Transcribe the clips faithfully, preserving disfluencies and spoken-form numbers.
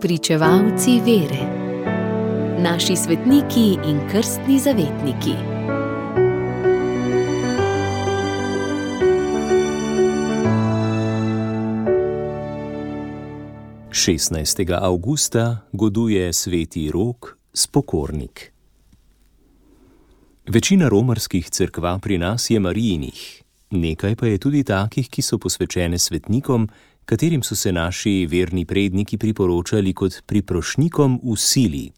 Spričevalci vere. Naši svetniki in krstni zavetniki. šestnajstega avgusta goduje sveti Rok, spokornik. Večina romarskih cerkva pri nas je Marijinih, nekaj pa je tudi takih, ki so posvečene svetnikom, katerim so se naši verni predniki priporočali kot priprošnjikom v sili.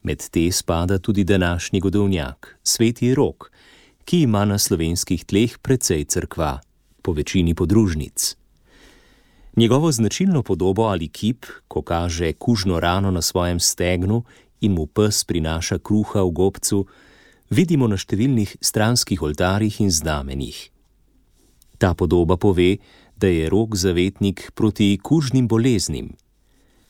Med te spada tudi današnji godovnjak, sveti Rok, ki ima na slovenskih tleh precej cerkva, po večini podružnic. Njegovo značilno podobo ali kip, ko kaže kužno rano na svojem stegnu in mu pes prinaša kruha v gobcu, vidimo na številnih stranskih oltarjih in znamenjih. Ta podoba pove, da je Rok zavetnik proti kužnim boleznim.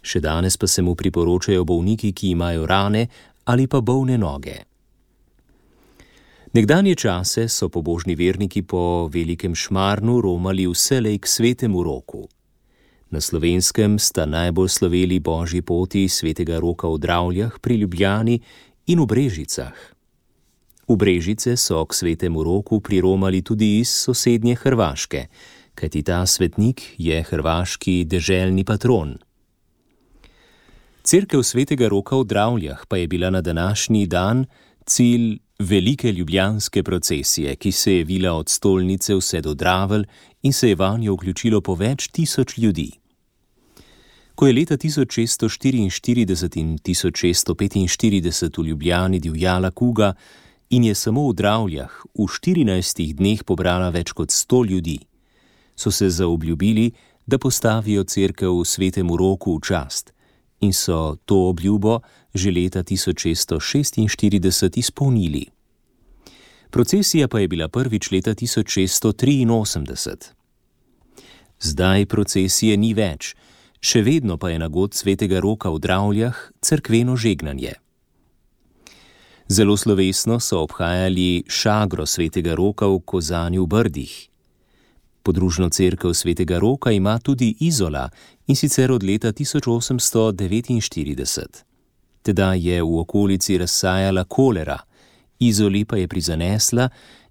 Še danes pa se mu priporočajo bolniki, ki imajo rane ali pa bolne noge. Nekdanje čase so pobožni verniki po Velikem Šmarnu romali vselej k svetemu Roku. Na Slovenskem sta najbolj sloveli božji poti svetega Roka v Dravljah pri Ljubljani in v Brežicah. V Brežice so k svetemu Roku priromali tudi iz sosednje Hrvaške, kajti ta svetnik je hrvaški deželni patron. Cerkev svetega Roka v Dravljah pa je bila na današnji dan cilj velike ljubljanske procesije, ki se je vila od stolnice vse do Dravelj in se je vanjo vključilo po več tisoč ljudi. Ko je leta tisoč šeststo štiriinštirideset in tisoč šeststo petinštirideset v Ljubljani divjala kuga in je samo v Dravljah v štirinajstih dneh pobrala več kot sto ljudi, so se zaobljubili, da postavijo cerkev svetemu Roku v čast in so to obljubo že leta tisoč šeststo šestinštirideset izpolnili. Procesija pa je bila prvič leta tisoč šeststo triinosemdeset. Zdaj procesije ni več, še vedno pa je na god svetega Roka v Dravljah cerkveno žegnanje. Zelo slovesno so obhajali šagro svetega Roka v Kozani v Brdih. Podružno cerkev svetega Roka ima tudi Izola, in sicer od leta tisoč osemsto devetinštirideset. Tedaj je v okolici razsajala kolera, Izoli pa je prizanesla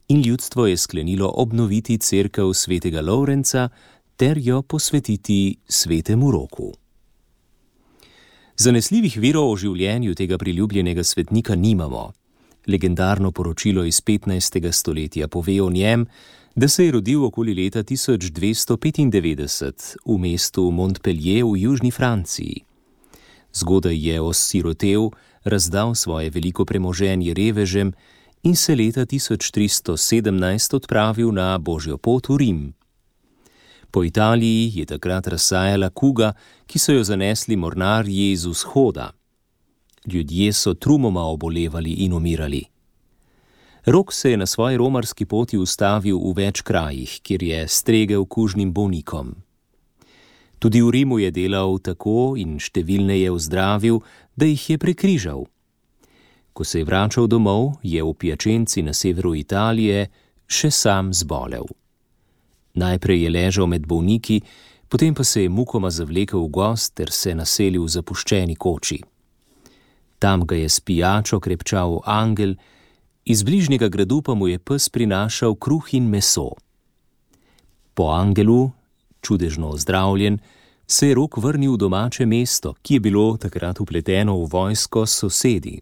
in ljudstvo je sklenilo obnoviti cerkev svetega Lovrenca ter jo posvetiti svetemu Roku. Zanesljivih virov o življenju tega priljubljenega svetnika nimamo. Legendarno poročilo iz petnajstega stoletja pove o njem, da se je rodil okoli leta tisoč dvesto petindevetdeset v mestu Montpellier v južni Franciji. Zgodaj je osirotel, razdal svoje veliko premoženje revežem in se leta tisoč tristo sedemnajst odpravil na božjo pot v Rim. Po Italiji je takrat razsajala kuga, ki so jo zanesli mornarji z vzhoda. Ljudje so trumoma obolevali in umirali. Rok se je na svoji romarski poti ustavil v več krajih, kjer je stregel kužnim bolnikom. Tudi v Rimu je delal tako in številne je ozdravil, da jih je prekrižal. Ko se je vračal domov, je v Piačenci na severu Italije še sam zbolel. Najprej je ležal med bolniki, potem pa se je mukoma zavlekel v gozd ter se naselil v zapuščeni koči. Tam ga je s pijačo krepčal angel, iz bližnjega gradu pa mu je pes prinašal kruh in meso. Po angelu, čudežno ozdravljen, se je Rok vrnil v domače mesto, ki je bilo takrat vpleteno v vojsko s sosedi.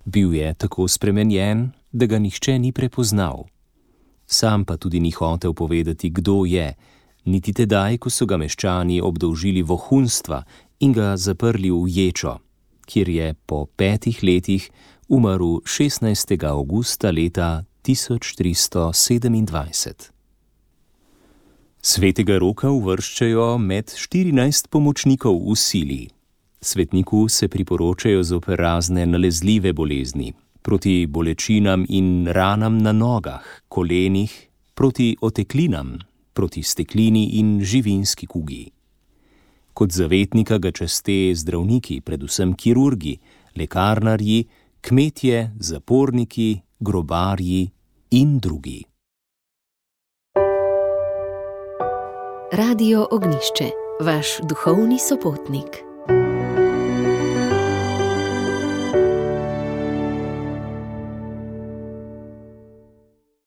Bil je tako spremenjen, da ga nihče ni prepoznal. Sam pa tudi ni hotel povedati, kdo je, niti tedaj, ko so ga meščani obdolžili vohunstva in ga zaprli v ječo, kjer je po petih letih umrl šestnajstega avgusta leta tisoč tristo sedemindvajset. Svetega Roka uvrščajo med štirinajst pomočnikov v sili. Svetniku se priporočajo zoper razne nalezljive bolezni, proti bolečinam in ranam na nogah, kolenih, proti oteklinam, proti steklini in živinski kugi. Kot zavetnika ga časte zdravniki, predvsem kirurgi, lekarnarji, kmetje, zaporniki, grobarji in drugi. Radio Ognjišče, vaš duhovni sopotnik.